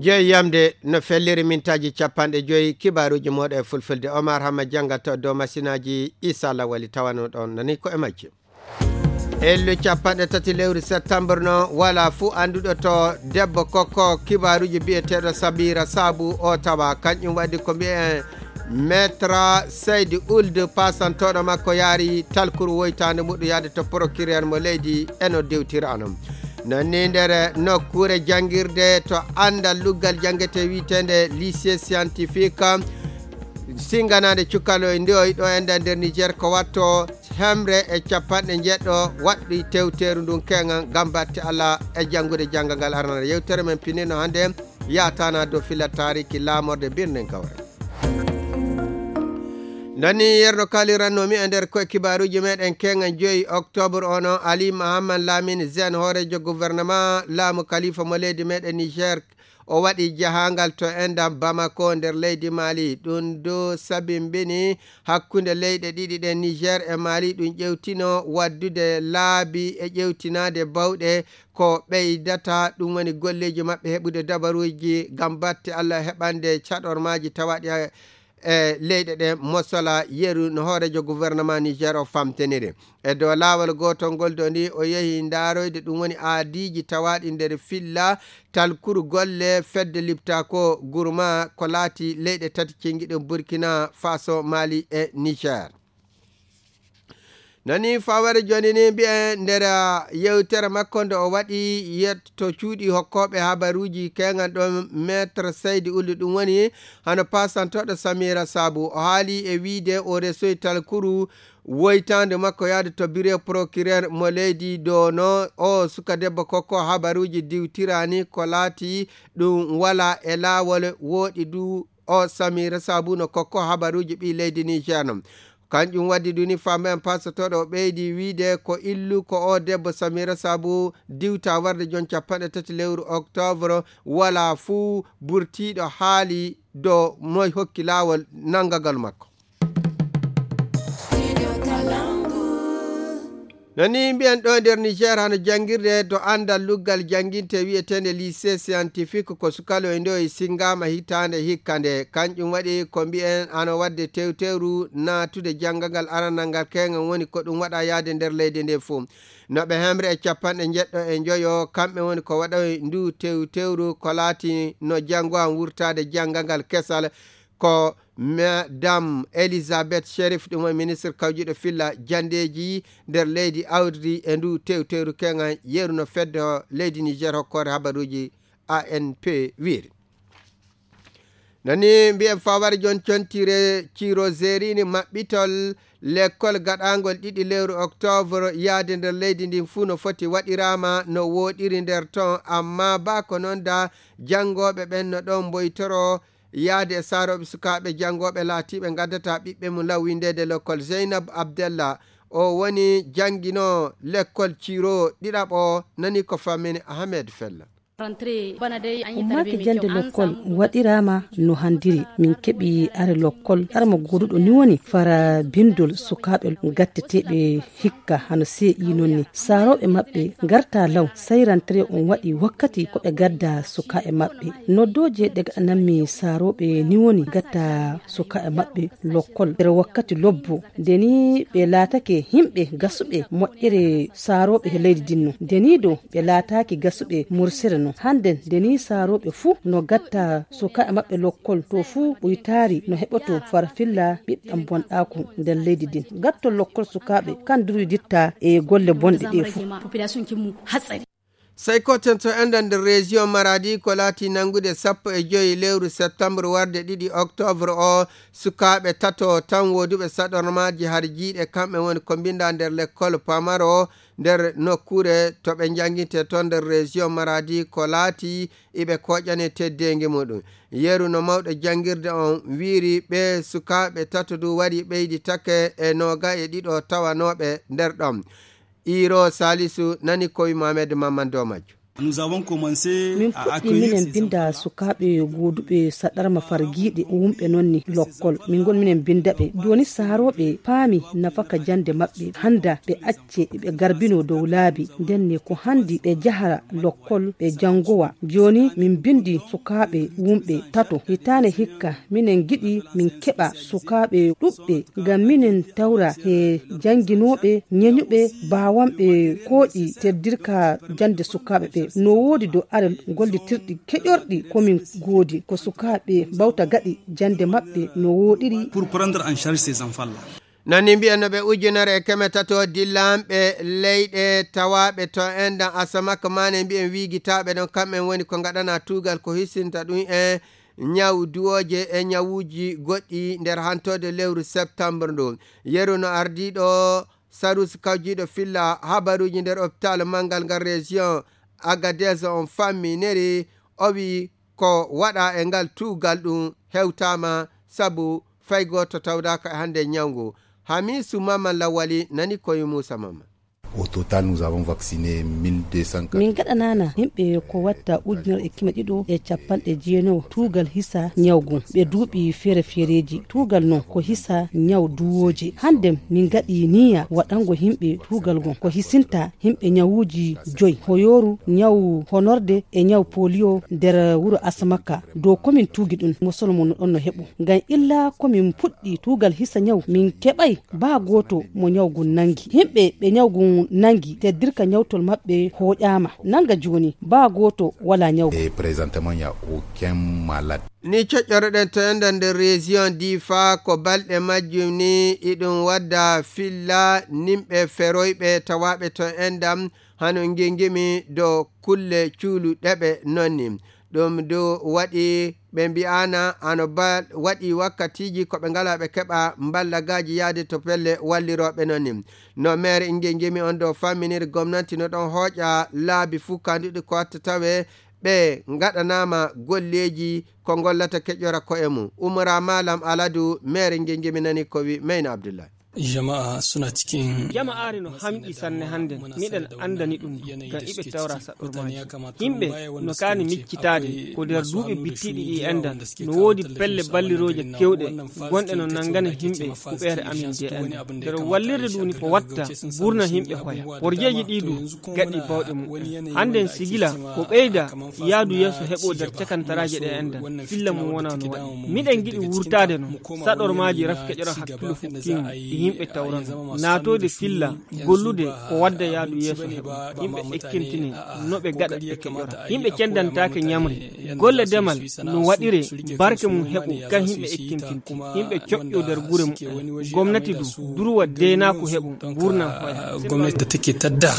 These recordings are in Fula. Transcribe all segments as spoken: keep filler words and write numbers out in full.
Jeyi yamde no felliri mintaaji capanɗe joyi kibaaruuji mooɗo e fulfulde. Omar Hama janngato dow masinaaji Isa Lawali tawano ɗon nani ko e majji. Ellu capanɗe tati lewru septembre no wala fuu annduɗo to debbo kokko kibaaruuji biyeteeɗo Sabira Sabu o tawa. Kanƴum waɗi ko mbiyen Maître Seydi Ould, pasantoɗo makko yaari talkuru woytaande muɗum yaade to procureur mo leydi e no dewtira non. Non ni nder nokkuure janngirde to anndal luggal janngete wiyeteende lycée scientifique, singanaade cukaloy ndewoy ɗo enda nder Niger ko watto hemre e capanɗe njeɗɗo waɗɗi tewteeru ndun keŋan ngam batte Allah e janngude janngal ngal arana. Yewtere men pinino hannde yaatana dow fila taariki laamorde birnin Gawre. Nani yerno kalirannomi e nder koye kibaaruuji meɗen keŋan joyi octobre ono, Ali Mahamman Lamine Zen, hooreejo gouvernement laamu kalifa mo leydi meɗen Niger, o waɗi jahangal to endam Bamako nder leydi Mali. Ɗum do sabimbini hakkunde leyɗe ɗiɗi ɗen, Niger e Mali. Ɗum ƴewtino waddude laabi e ƴewtinaade bawɗe ko ɓeydata, ɗum woni golleeji maɓɓe heɓude dabaruuji ngam batte Allah heɓande caɗormaaji tawaɗi e leyɗe ɗe mosola. Yeru no hooreejo gouvernement Niger o famteniri. E dow laawol gootol ngol do ni o yehi ndaaroyde ɗum woni aadiiji tawaaɗi nder filla talkuru golle fedde Liptako Gurma ko laati leyɗe tati cingiɗum Burkina Faso, Mali e Niger. Nani fawere joni ni mbi'e nder yewtere makko nde o waɗi yetto cuuɗi hokkooɓe habaruuji keŋan ɗon Maître Seydi Ullu, ɗum woni hano pasantoɗo Samira Sabu. O haali e wiide o resoy talkuru woytaande makko yaade to biro procureur mo leydi do no o suka debbo kokko habaruuji diwtirani ko laati ɗum wala e laawol wooɗi du o Samira Sabu no kokko habaruuji ɓi leydi Niger non. Kanƴum waddi duni fambe en pasotoɗo o ɓeydi wiide ko illu ko o debbo Samira Sabu diwta warde jon capanɗe tati lewru octobre wala fuu burtiiɗo haali do moy hokki laawol nangagal makko. No ni mbiyen ɗo nder Niger hano janngirde to anndal luggal jannginte wiyeteende lycée scientifique ko sukaloy ndoy singama hitaande hikka nde. Kanƴum waɗi ko mbiyen hano wadde tewtewru naatude janngangal aranal ngal keŋan woni ko ɗum waɗa yaade nder leydi nde fuu. No ɓe hemre e capanɗe njeɗɗo e njoyo, kamɓe woni ko waɗoy ndu tewtewru ko laati no janngo an wurtaade janngangal kesal. Ko Madame Elizabeth Sherif, ɗum woni ministre kawjuɗo filla jandeeji nder leydi awdi e ndu tewteru keŋan yeru no fedde leydi Niger hokkoore habaruuji A N P wiiri. Nani mbiyen fawar jon contire ciro zerini maɓɓitol lekkol gaɗangol ɗiɗi lewru octobre yaade nder leydi ndin fuu no foti waɗirama no woɗiri nder ton, amma ba ko non da janngoɓe ɓen no ɗon mboytoro yaade e saroɓe sukaaɓe janngooɓe laatiiɓe ngaddata ɓiɓɓe mum law winndeede lekkol. Zeynab Abdella, o woni janngino lekkol Ciro ɗiɗaɓo, nani ko fammini Ahmed Fella. Ummaaki jannde lokkol waɗiraama no hanndiri. Min keɓi are lokkol arma gooduɗo ni woni fara binndol sukaaɓe gatteteeɓe hikka hano C I non ni. Saarooɓe maɓɓe ngarta law, sey rantere on waɗi wakkati ko ɓe gadda sukaaɓe maɓɓe. Noddooje ɗe gaɗanammi saarooɓe ni woni gatta sukaaɓe maɓɓe lokkol nder wakkati lobbo. Nde ni ɓe laatake yimɓe gasuɓe moƴƴere saarooɓe he leydi dinno. Nde ni dow ɓe laataaki gasuɓe mursere no. Hande nde ni saarooɓe fuu no gatta sukaaɓe maɓɓe lokkol to fuu ɓuytaari no heɓoto farfilla ɓiɓɓe bonɗaaku nder leydi din. Gattol lokkol sukaaɓe kan durwiditta e golle bonɗe ɗe fuu. Sey koten to enɗan nder région Maradi ko laati nanngude sappo e joyi lewru septembre warde ɗiɗi octobre o, sukaaɓe tato tan wooduɓe saɗormaaji har jiiɗe, kamɓe woni ko mbinda nder lekkol pamaro nder nokkuure to ɓe njannginte toon nder région Maradi ko laati iɓe kooƴane teddeengi muɗum. Yeru no mawɗo janngirde on wiiri ɓe sukaaɓe tato du wari ɓeydi take e nooga e ɗiɗo tawanooɓe nder ɗon. Iro Salisu nani kowi Mohamed Mamman dow majjum. Min puɗɗi minen binnda sukaaɓe gooduɓe saɗarma fargiiɗe wumɓe noon ni lokkol. Min ngoni minen binnda ɓe. Jooni saharooɓe paami nafaka jannde maɓɓe. Hannda ɓe acce ɓe garbinoo dow laabi. Ndenne ko hanndi ɓe njahara lokkol ɓe janngowa. Jooni min mbinndi sukaaɓe wumɓe tato. Hitaande hikka minen ngiɗi min keɓa sukaaɓe ɗuɓɓe ngam minen tawra he jannginooɓe ñeñuɓe baawanɓe kooƴi teddirka jannde sukaaɓe ɓe. No woodi do are gollitirɗi keƴorɗi ko min ngoodi ko sukaaɓe mbawta gaɗi jannde maɓɓe no wooɗiri. Pour prendre en charge ces enfants là. Nani mbiyan no ɓe ujunere e keme tato dillanɓe leyɗe tawaaɓe to endan asamaka mane mbiyen wiigitaaɓe ɗon kamɓen woni ko ngaɗana tuugal ko hisinta ɗum e ñaw duwooje e ñawuuji goɗɗi nder hantode lewru septembre ndu. Yeru no ardiiɗo sarus kawjiiɗo filla habaruuji nder hôpital manngal ngal région Agadez on famminiri o wi ko waɗa e ngal tuugal ɗum hewtaama sabu fay gooto tawdaaka e hannde ñawngu. Hamisu Maman Lawali nani koye Muusa Maman. Au total nous avons vacciné mille deux cent. Min gaɗanana yimɓe ko watta ujunere e keme ɗiɗo e capanɗe jeenayo tuugal hisa ñawgu ɓe duuɓi feere feereeji. Tuugal noon ko hisa ñaw duwooje. Hannde min gaɗi niya waɗango yimɓe tuugal ngon ko hisinta yimɓe ñawuuji joyi. Hoyooru ñaw honorde e ñaw polio nder wuro Asamaka. Dow komin tuugi ɗum mosol mo no ɗon no heɓu. Ngam illa komin puɗɗi tuugal hisa ñaw min keɓay baa gooto mo ñaw ngun nanngi. Yimɓe ɓe ñaw ngun nanngi teddirka ñawtol maɓɓe hooƴaama. Nannga jooni baa gooto walaa ñaw. Et présentement, il n'y a aucun malade. Ni coƴƴoroɗen to enɗam nder région Difa ko balɗe majjum ni iɗum wadda filla nimɓe feroyɓe tawaaɓe to enɗam hano ngengemi do kulle cuulu ɗeɓe nonni. Ɗum du waɗi ɓe mbi'aana hano ba waɗi wakkatiiji ko ɓe ngalaa ɓe keɓa mballagaaji yahde to pelle wallirooɓe nonni. No maire ngengemi on do famminiri gomnati no ɗon hooƴa laabi fuu kanduɗi ko watta tawe ɓe ngaɗanaama golleeji ko ngollata keƴora ko'e mum. Umra Malam Aladu, maire ngengemi nani ko wi Mayna Abdullahi. Jama'a suna cikin. Jama'aare no hamƴi sanne hannden. Miɗen anndani ɗum ngam iɓe tawra saɗormaaji. Yimɓe no kaani miccitaade ko nder duuɓi bittiiɗi ɗi enɗan. No woodi pelle ballirooje kewɗe gonɗe no nanngana yimɓe kuɓeere amin je enɗan. Nder wallirde ɗum ko watta burna yimɓe hoya. Porjeeji ɗi du gaɗi bawɗe mumen. Hannden sigila ko ɓeyda yaadu yeeso heɓo nder cakantaraaje ɗe enɗan. Filla mum wona no waɗi. Miɗen ngiɗi wurtaade no. Saɗormaaji rafi keƴora hakkilo fukkiima e yimɓe tawrano. Naatoyde filla gollude ko wadda yaadu yeeso heɓo. Yimɓe ekkintini no ɓe gaɗa ɓe keƴora. Yimɓe cendantaake ñamri. Golle demal no waɗire barke mum heɓo kan yimɓe ekkintinti. Yimɓe coƴƴo nder gure mumen. Gomnati du durwa deenaaku heɓo. Ngurnam hoya. Gomnati da take tadda.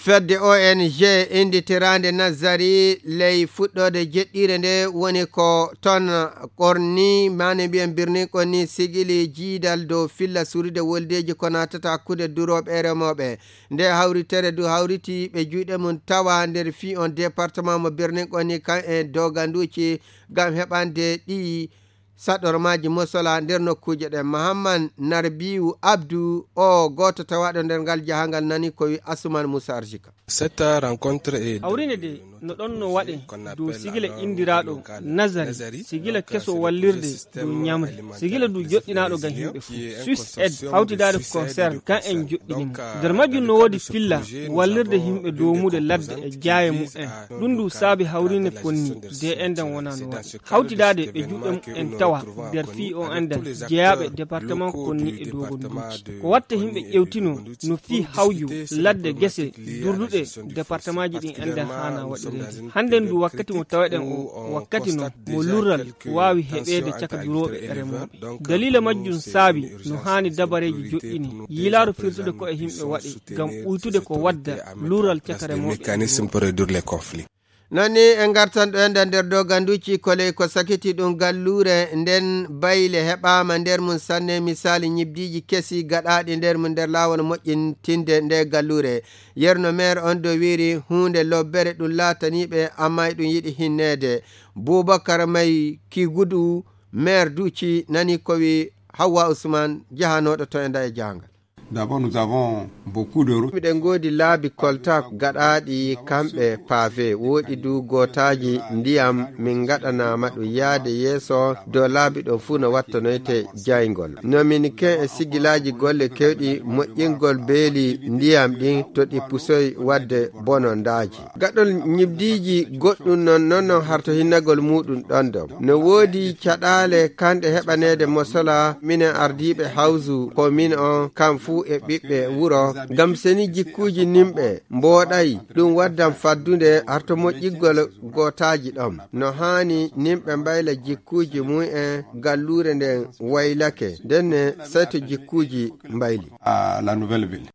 Fedde O N G innditiraande Nazari ley fuɗɗoode jeɗɗiire nde woni ko ton Qorni, maane mbiyen birnin Qorni sigili jiidal dow filla surude woldeeji ko naatata hakkunde durooɓe e remooɓe. Nde hawritere du hawriti ɓe juuɗe mum tawa nder fii on département mo birnin Qorni kan e doganduuji ngam heɓande ɗi saɗormaaji mosola nder nokkuuje ɗen. Mahamman Narbiyu Abdu o gooto tawaaɗo nder ngal jahangal nani ko wi Asuman Musa Arsika. Cette rencontre est hawrine de no ɗon no waɗe dow sigila indiraaɗo Nazari, sigila keso wallirde dow ñamri, sigila du joɗɗinaaɗo ngam yimɓe fuu. Swiss Aid hawtidaade concern kan en joɗɗini mo. Nder majjum no woodi filla wallirde yimɓe doomude ladde e jaaye mumen. Ɗum du saabi hawrine konni de enɗan wona no waɗi. Hawtidaade ɓe juuɗe mumen tawa nder fii o enɗan jeyaaɓe département konni e dogonduuji. Ko watta yimɓe ƴewtino no fii hawju ladde gese durduɗe départementji ɗin enɗan haana waɗireede. Hannden du wakkati mo taweɗen o wakkati no mo lurral waawi heɓeede caka durooɓe e remooɓe. Daliila majjum saabi no haani dabareeji joɗɗini yiilaaru firtude ko e yimɓe waɗi ngam ɓuytude ko wadda lurral caka remooɓe e remooɓe. Noon ni en ngartan ɗo enɗan nder doganduuji koley ko sakiti ɗum galluure nden bayle heɓaama nder mum sanne misaali ñibdiiji kesi gaɗaaɗi nder mum nder laawol moƴƴintinde nde galluure. Yerno maire on do wiiri huunde lobbere ɗum laataniiɓe amma eɗum yiɗi hinneede. Buubakar May Kigudu maire Duuci nani ko wi Hawwa Usman jahanooɗo to e nda e jahangal. D'abord, nous avons beaucoup de routes. Miɗen ngoodi laabi kolta gaɗaaɗi kamɓe pavé, woodi du gootaaji ndiyam min ngaɗanaama ɗum yaade yeeso dow laabi ɗo fuu no wattanoyte jayngol. No min ken e sigilaaji golle kewɗi moƴƴingol beeli ndiyam ɗin to ɗi pusoy waɗde bonondaaji. Gaɗol ñibdiiji goɗɗum non, non, non harto hinnagol muuɗum ɗon ɗon. No woodi caɗaale kanɗe heɓaneede mosola minen ardiiɓe hawsu ko min on kam fuu e ɓiɓɓe wuro. Ngam seni jikkuuji nimɓe mbooɗay, ɗum waddan faddunde harto moƴƴiggol gootaaji ɗon. No haani nimɓe mbayla jikkuuji mum en galluure nden waylake. Ndenne sey to jikkuuji mbayli. Ah, la nouvelle ville.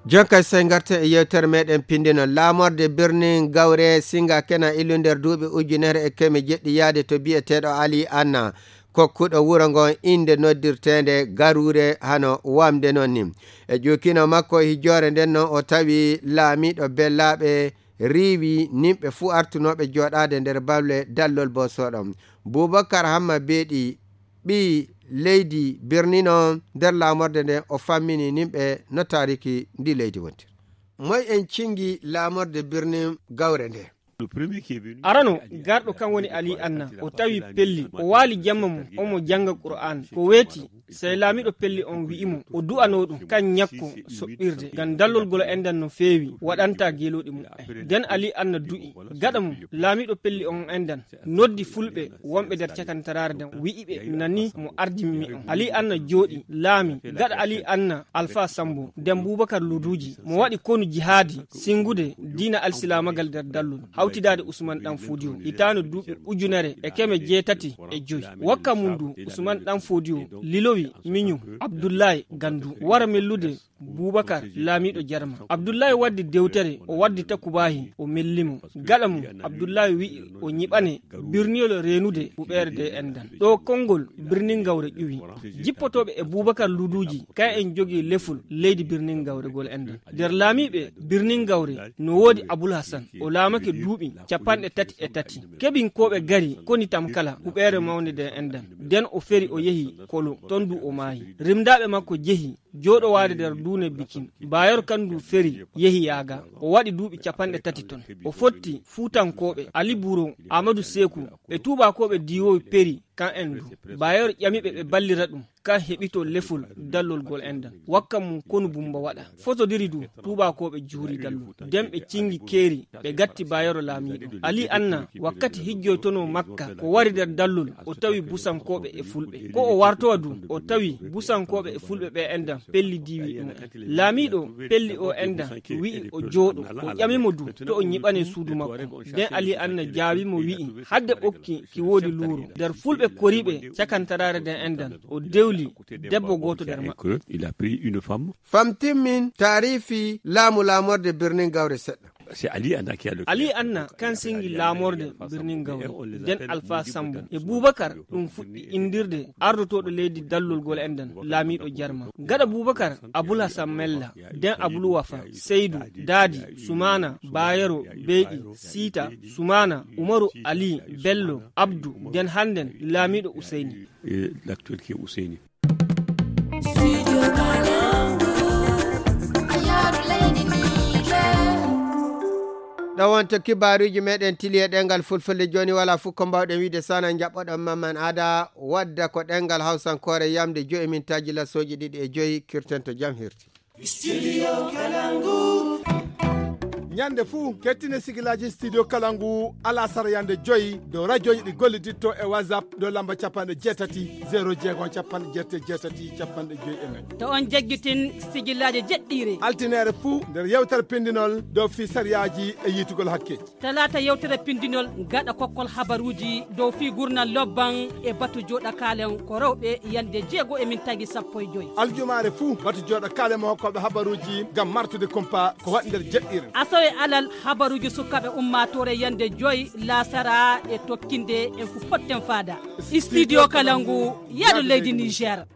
Jonka sey ngarten e yewtere meɗen pindino. Laamorde birnin gawre singa kena ilu nder duuɓi ujunere e keme jeɗɗi yaade to biyeteeɗo Ali Anna, kokkuɗo wuro ngon innde noddirteende Garuure hano wamde non ni. E ƴuukino makko hijoore nden non o tawi laamiiɗo bellaaɓe riiwi nimɓe fuu artunooɓe jooɗaade nder bawle dallol boosoɗon. Bubakar Hamma Beeɗi, ɓii leydi birnin on nder laamorde nden, o fammini nimɓe no taariki ndi leydi wontir. Moy en cingi laamorde birnin gawre nde? Arano, garɗo kan woni Ali Anna. O tawi pelli, o waali jamma mum, omo jannga Qur'aan. Ko weeti, sey laamiiɗo pelli on wi'i mo, o du'anoo ɗum, kan ñakko soɓɓirde. Ngam dallol golo enɗan no feewi, waɗanta geelooɗi mum en. Den Ali Anna du'i. Gaɗa mum, laamiiɗo pelli on enɗan noddi fulɓe wonɓe nder cakantaraare nden, wi'i ɓe, nani mo ardimmi on. Ali Anna jooɗi, laami. Gaɗa Ali Anna, Alfa Sambo, den Bubakar Luduuji, mo waɗi konu jihaadi, singude diina alsilaamagal nder dallol, hawtidaade Usman Ɗan Foodiyo, hitaande duuɓi ujunere e keme jeetati e joy. Wakka mum du, Usman Ɗan Foodiyo lilowi miñum Abdullahi Gandu, wara mellude Bubakar, laamiiɗo Jarma. Abdullahi waddi dewtere, o waddi takubaahi, o melli mo. Gaɗa mum, Abdullahi wi'i o ñiɓane birniyol reenude huɓeere de enɗan. Ɗo konngol birnin gawre ƴuwi. Jippotooɓe e Bubakar Luduuji, kay en jogii lefol leydi birnin gawre gol enɗan. Nder laamiiɓe birnin gawre no woodi Abul Hasan, o laamake duuɓi capanɗe tati e tati. Kebinkooɓe gari koni tam kala huɓeere mawnde de enɗan. Den o feri o yehi Kolo, ton du o maayi. Rimdaaɓe makko jehi jooɗowaade nder duune Bikin. Bayero kan du feri yehi Yaaga. O waɗi duuɓi capanɗe tati ton. O fotti Fuutankooɓe, Ali Buro, Amadu Seeku, ɓe tuubaakooɓe diiwoowi peri kan en du. Bayero ƴami ɓe ɓe ballira ɗum, kan heɓito lefol dallol gol enɗan. Wakka mum konu Bumba waɗa. Fotodiri du, tuubaakooɓe juuri dallol. Den ɓe cingi keeri, ɓe gatti Bayero laamiiɗo. Ali Anna, wakkati hijjoytonoo Makka, ko wari nder dallol, o tawi Busankooɓe e Fulɓe. Ko o wartowa du, o tawi Busankooɓe e Fulɓe ɓe enɗan pelli diiwi ɗum en. Laamiiɗo pelli o enɗan wi'i o jooɗo, o ƴami mo du to o ñiɓane suudu makko. Den Ali Anna jaabi mo wi'i, hadde ɓokki ki woodi luuro. Nder Fulɓe koriiɓe cakantaraare nden enɗan, o dewli debbo gooto nder maɓɓe. Il a pris une femme. Famtimmin taarifi laamu laamorde birnin gawre seɗɗa. C'est Ali Anna qui a le... Ali Anna kan singi laamorde birnin gawre. Den Alfa Sambo e Bubakar ɗum fuɗɗi indirde ardotooɗo leydi dallol gol enɗan, laamiiɗo Jarma. Gaɗa Bubakar, Abul Hasan Mella, den Abul Wafa, Seydu, Daadi, Sumaana, Bayero, Beyɗi, Siita, Sumaana, Umaru, Ali, Bello, Abdu, den hannden laamiiɗo Useyni. Et l'actuel qui est Ousseini. Ɗo wonto kibaaruuji meɗen tili e ɗengal Fulfulde. Jooni wala fof ko mbawɗen wiide sana jaɓɓoɗon Mamman Ada, wadda ko ɗengal Hawsankoore yamde joyi mintaaji lasooji ɗiɗi e joyi, kirten to jam hirti. Studio Kalangu. Ñande fuu, kettine sigilaaji Studio Kalangu alasara yande joyi dow rajooji ɗi golliditto e WhatsApp dow lamba capanɗe jeetati, zéro jeego, capanɗe jeetati, capanɗe jeetati, capanɗe joyi e nayi. To on jaggitin sigilaaji jeɗɗiire. Altineere fuu nder yewtere pindinol dow fii sariyaaji e yiitugol hakke. Talaata yewtere pindinol gaɗa kokkol habaruuji dow fii gurnal lobban e batu jooɗa kaalen ko rewɓe yande jeego e mintaaji sappo e joyi. Aljumaare fuu batu jooɗa kaalen mo hokkooɓe habaruuji ngam martude kumpa ko waɗi nder jeɗɗiire. Asawe alal habaruuji sukaaɓe ummaatoore yande joyi laasara e tokkinde en fu potten faada. Studio Kalangu, yaadu leydi Niger.